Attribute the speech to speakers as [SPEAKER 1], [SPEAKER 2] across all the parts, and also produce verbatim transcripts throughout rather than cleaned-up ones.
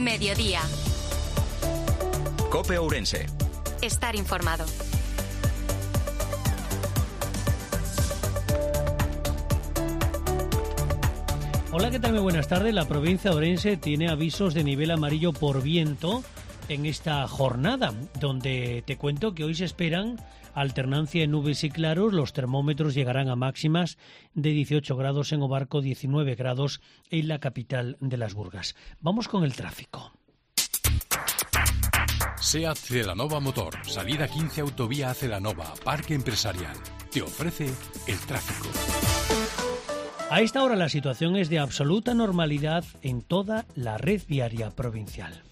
[SPEAKER 1] Mediodía.
[SPEAKER 2] COPE Ourense.
[SPEAKER 1] Estar informado.
[SPEAKER 3] Hola, ¿qué tal? Muy buenas tardes. La provincia de Ourense tiene avisos de nivel amarillo por viento en esta jornada, donde te cuento que hoy se esperan alternancia de nubes y claros. Los termómetros llegarán a máximas de dieciocho grados en Obarco, diecinueve grados en la capital de Las Burgas. Vamos con el tráfico.
[SPEAKER 4] SEAT Celanova Motor, salida quince autovía Celanova, Parque Empresarial. Te ofrece el tráfico.
[SPEAKER 3] A esta hora la situación es de absoluta normalidad en toda la red viaria provincial.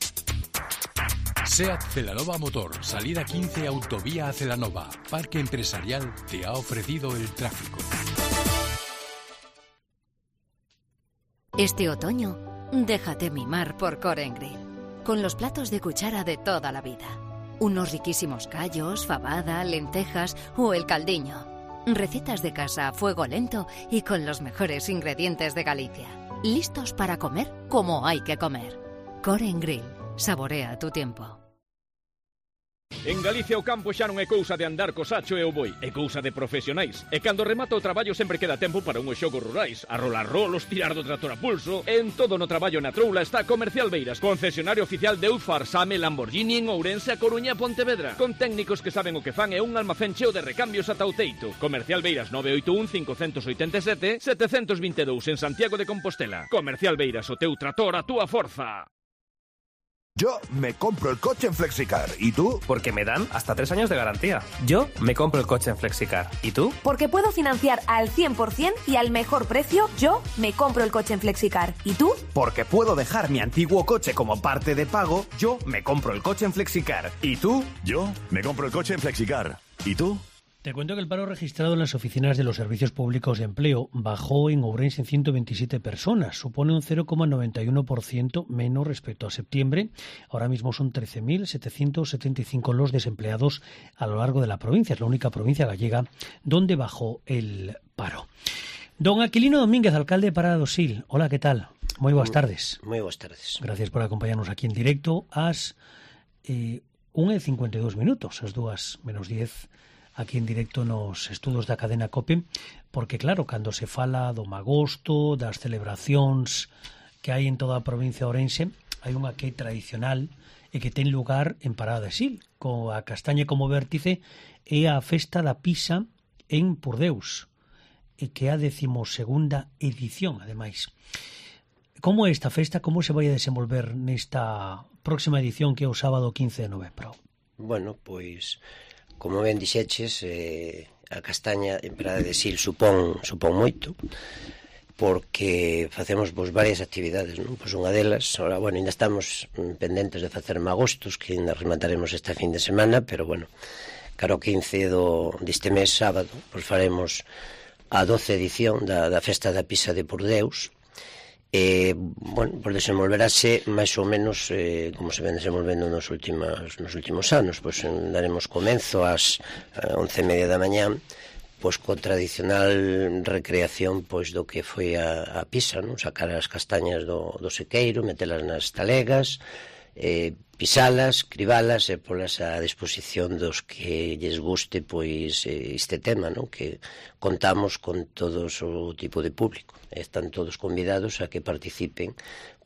[SPEAKER 4] SEAT Celanova Motor, salida quince autovía Celanova, Parque Empresarial te ha ofrecido el tráfico.
[SPEAKER 5] Este otoño, déjate mimar por Core and Grill, con los platos de cuchara de toda la vida. Unos riquísimos callos, fabada, lentejas o el caldiño. Recetas de casa a fuego lento y con los mejores ingredientes de Galicia. Listos para comer como hay que comer. Core and Grill. Saborea tu tiempo.
[SPEAKER 6] En Galicia o campo xa non é cousa de andar co sacho e o boi, é cousa de profesionais. E cando remata o traballo sempre queda tempo para unhos xogos rurais, a rolar rolos, tirar do trator a pulso. En todo no traballo na troula está Comercial Beiras, concesionario oficial de Eufar, Same, Lamborghini en Ourense, a Coruña e Pontevedra. Con técnicos que saben o que fan e un almacén cheo de recambios ata o teito. Comercial Beiras nove oito un, cinco oito sete, sete dos dous en Santiago de Compostela. Comercial Beiras, o teu trator, a túa forza.
[SPEAKER 7] Yo me compro el coche en Flexicar. ¿Y tú?
[SPEAKER 8] Porque me dan hasta tres años de garantía. Yo me compro el coche en Flexicar. ¿Y tú?
[SPEAKER 9] Porque puedo financiar al cien por ciento y al mejor precio. Yo me compro el coche en Flexicar. ¿Y tú?
[SPEAKER 10] Porque puedo dejar mi antiguo coche como parte de pago. Yo me compro el coche en Flexicar. ¿Y tú?
[SPEAKER 7] Yo me compro el coche en Flexicar. ¿Y tú?
[SPEAKER 3] Te cuento que el paro registrado en las oficinas de los servicios públicos de empleo bajó en Ourense en ciento veintisiete personas. Supone un cero coma noventa y uno por ciento menos respecto a septiembre. Ahora mismo son trece mil setecientos setenta y cinco los desempleados a lo largo de la provincia. Es la única provincia gallega donde bajó el paro. Don Aquilino Domínguez, alcalde de Parada do Sil. Hola, ¿qué tal? Muy buenas tardes.
[SPEAKER 11] Muy buenas tardes.
[SPEAKER 3] Gracias por acompañarnos aquí en directo. As eh, unha e cincuenta e dous minutos, as dúas menos diez aquí en directo nos estudos da cadena COPE, porque claro, cando se fala do magosto, das celebracións que hai en toda a provincia de Ourense, hai unha que é tradicional e que ten lugar en Parada de Sil, coa castaña como vértice, é a festa da pisa en Purdeus, e que é a decimosegunda edición, ademais. Como é esta festa? Como se vai a desenvolver nesta próxima edición que é o sábado quince de novembro?
[SPEAKER 11] Bueno, pois... Como ben dixeches, eh, a castaña en Parada de Sil supón, supón moito, porque facemos pois, varias actividades, non? Pois unha delas, ahora, bueno, ainda estamos pendentes de facer magostos, que ainda remataremos esta fin de semana, pero, bueno, caro quince do, deste mes, sábado, pois faremos a doce edición da, da Festa da Pisa de Purdeus. Eh, bueno, pues desenvolverase máis ou menos eh, como se ven desenvolvendo nos últimos, nos últimos anos. Pois pues, daremos comenzo ás once e media da mañá pois con tradicional recreación pois do que foi a, a pisa, non? Sacar as castañas do, do sequeiro, metelas nas talegas, eh, pisalas, cribalas e polas a disposición dos que lles guste pois eh, este tema, non? Que contamos con todos o tipo de público. Están todos convidados a que participen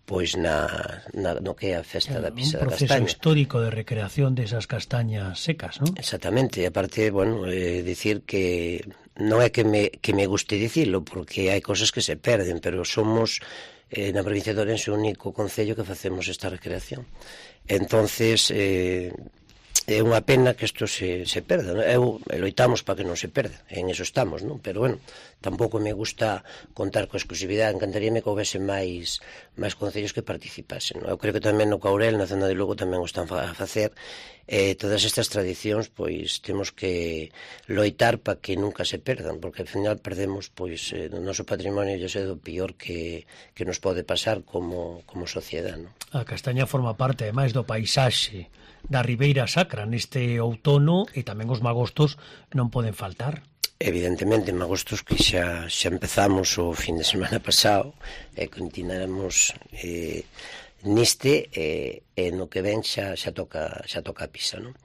[SPEAKER 11] pois na, na no que é a festa da pisa da castaña.
[SPEAKER 3] Un proceso histórico de recreación desas castañas secas, non?
[SPEAKER 11] Exactamente, e aparte, bueno, eh, dicir que non é que me, que me guste dicilo, porque hai cosas que se perden, pero somos eh, na provincia de Ourense o único concello que facemos esta recreación. Entonces, eh, é unha pena que isto se, se perda, non? Eu loitamos para que non se perda, en eso estamos, non? Pero, bueno, tampouco me gusta contar coa exclusividade, encantaríame que houvese máis máis concellos que participasen, non? Eu creo que tamén no Caurel, na zona de Lugo, tamén o están a facer. Eh, todas estas tradicións, pois, temos que loitar para que nunca se perdan, porque, ao final, perdemos, pois, eh, o noso patrimonio, e é do pior que, que nos pode pasar como, como sociedade, non?
[SPEAKER 3] A castaña forma parte, ademais, do paisaxe da Ribeira Sacra neste outono, e tamén os magostos non poden faltar.
[SPEAKER 11] Evidentemente, magostos que xa, xa empezamos o fin de semana pasado e continuaremos eh, niste e eh, no que ven xa, xa toca xa toca a pisa, non?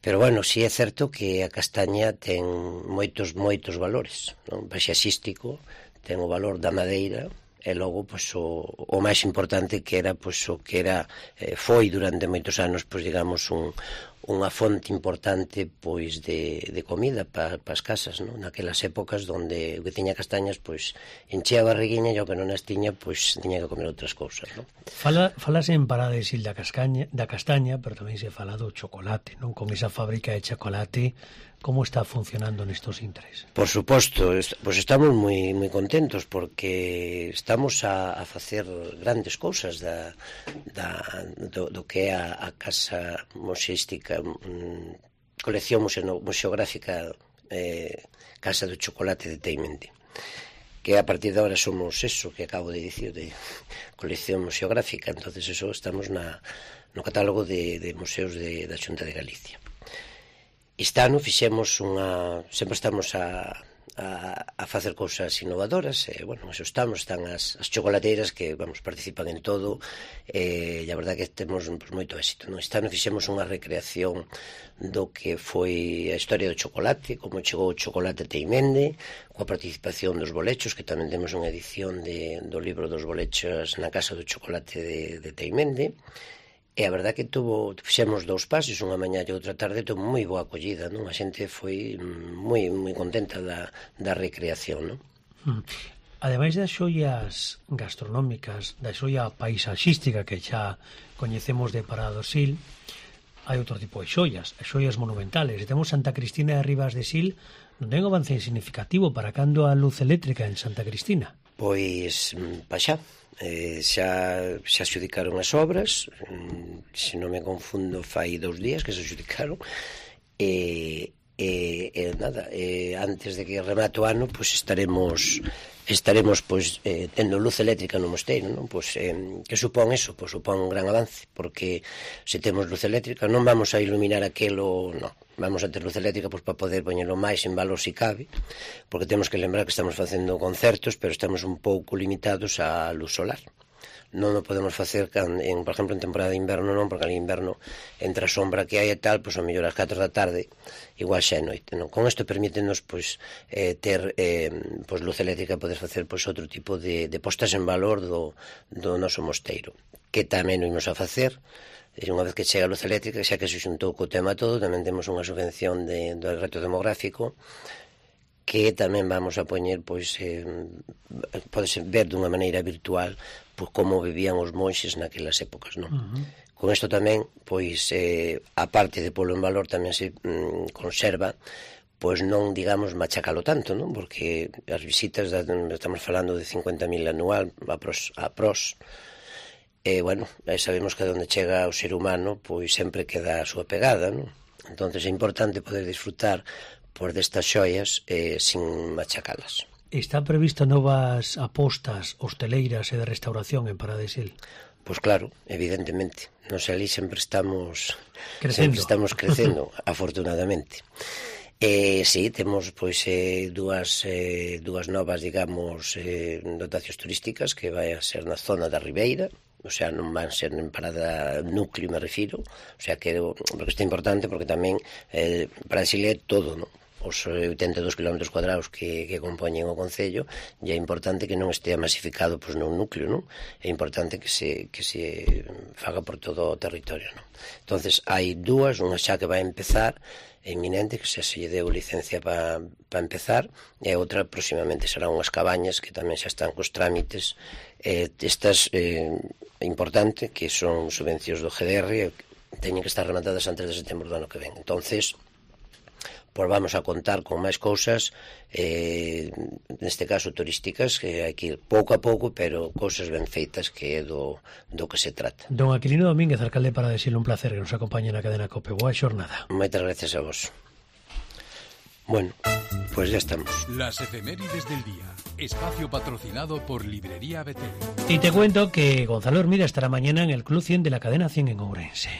[SPEAKER 11] Pero, bueno, si é certo que a castaña ten moitos, moitos valores, non? Paisaxístico, ten o valor da madeira, e logo, pois, o, o máis importante que era, pois, o que era, eh, foi durante moitos anos, pois, digamos, un, unha fonte importante, pois, de, de comida para pa as casas, non? Naquelas épocas onde o que tiña castañas, pois, enchea a barriguinha e o que non as tiña, pois, tiña que comer outras cousas, non?
[SPEAKER 3] Fala, falase en Parada de Sil da castaña, da castaña, pero tamén se fala do chocolate, non? Con esa fábrica de chocolate, como está funcionando nestos intres?
[SPEAKER 11] Por suposto, pois estamos moi moi contentos porque estamos a, a facer grandes cousas da, da, do, do que é a, a casa museística, mm, colección museo, museográfica eh, Casa do Chocolate de Teimendi, que a partir de ahora somos eso que acabo de dicir, de colección museográfica. Entonces eso estamos na, no catálogo de, de museos de, da Xunta de Galicia. Este ano fixemos unha... Sempre estamos a, a, a facer cousas innovadoras, e, bueno, eso estamos, están as, as chocolateiras que, vamos, participan en todo, e, e a verdade que temos pues, moito éxito, non? Este ano fixemos unha recreación do que foi a historia do chocolate, como chegou o chocolate a Teimende, coa participación dos bolechos, que tamén temos unha edición de, do libro dos bolechos na Casa do Chocolate de, de Teimende. E a verdade que tuvo, fixemos dous pases, unha mañá e outra tarde, tuvo moi boa acollida, non? A xente foi moi moi contenta da, da recreación, non?
[SPEAKER 3] Mm. Ademais das xoias gastronómicas, da xoia paisaxística que xa coñecemos de Parada do Sil, hai outro tipo de xoias, as xoias monumentales. E temos Santa Cristina de Ribas de Sil, non ten avance significativo para cando a luz eléctrica en Santa Cristina?
[SPEAKER 11] Pois, pa xa. Eh, xa, xa xudicaron as obras, se non me confundo fai dous días que se xudicaron, e, e, e nada, e antes de que remate o ano, pois estaremos estaremos pois eh, tendo luz eléctrica no mosteiro, non? Pois eh, que supón eso? Pois supón un gran avance, porque se temos luz eléctrica non vamos a iluminar aquelo, non. Vamos a ter luz eléctrica pois, para poder poñelo máis en valor se cabe, porque temos que lembrar que estamos facendo concertos, pero estamos un pouco limitados á luz solar. Non o podemos facer, en, por exemplo, en temporada de inverno non, porque en inverno, entre a sombra que hai e tal, pois, a mellor ás catro da tarde, igual xa é noite, non? Con isto permítenos, pois, eh, ter eh, pois, luz eléctrica, poder facer, pois, outro tipo de, de postas en valor do, do noso mosteiro, que tamén o imos a facer. E unha vez que chega a luz eléctrica, xa que se xuntou co tema todo, tamén temos unha subvención de, do reto demográfico que tamén vamos a poñer, pois, eh, podese ver dunha maneira virtual pois, como vivían os monxes naquelas épocas, non? Uh-huh. Con isto tamén, pois, eh, a parte de polo en valor tamén se mm, conserva, pois non, digamos, machacalo tanto, non? Porque as visitas, da, estamos falando de cincuenta mil anual, a pros, a pros E, bueno, sabemos que onde chega o ser humano, pois sempre queda a súa pegada, non? Entón, é importante poder disfrutar por destas xoias eh, sin machacalas.
[SPEAKER 3] Está previsto novas apostas hosteleiras e de restauración en Parada de Sil?
[SPEAKER 11] Pois claro, evidentemente. Nos ali sempre estamos
[SPEAKER 3] crecendo,
[SPEAKER 11] sempre estamos crecendo afortunadamente. Eh, sí, temos pois eh, dúas, eh, dúas novas, digamos, eh, dotacións turísticas que vai a ser na zona da Ribeira, o sea, non van ser en parada núcleo, me refiro, o sea, que porque isto é importante porque tamén eh, para Sil é todo, non? Os oitenta e dous kilómetros cuadrados que, que compoñen o concello, e é importante que non estea masificado pois, nun núcleo, non? É importante que se, que se faga por todo o territorio, non? Entonces, hai dúas, unha xa que vai empezar, é inminente, que xa se lle deu licencia para pa empezar, e outra próximamente serán unhas cabañas que tamén xa están cos trámites, eh, estas eh, importante, que son subvencións do G D R, teñen que estar rematadas antes de setembro do ano que ven. Entonces, pois vamos a contar con máis cousas, eh, neste caso turísticas, que hai que ir pouco a pouco, pero cousas ben feitas, que é do, do que se trata.
[SPEAKER 3] Don Aquilino Domínguez, alcalde de Parada de Sil, un placer que nos acompañe na cadena COPE. Boa xornada.
[SPEAKER 11] Moitas gracias a vos. Bueno, pues ya estamos.
[SPEAKER 4] Las efemérides del día. Espacio patrocinado por Librería Betel.
[SPEAKER 3] Y te cuento que Gonzalo Hermida estará mañana en el Club cien de la cadena cien en Ourense.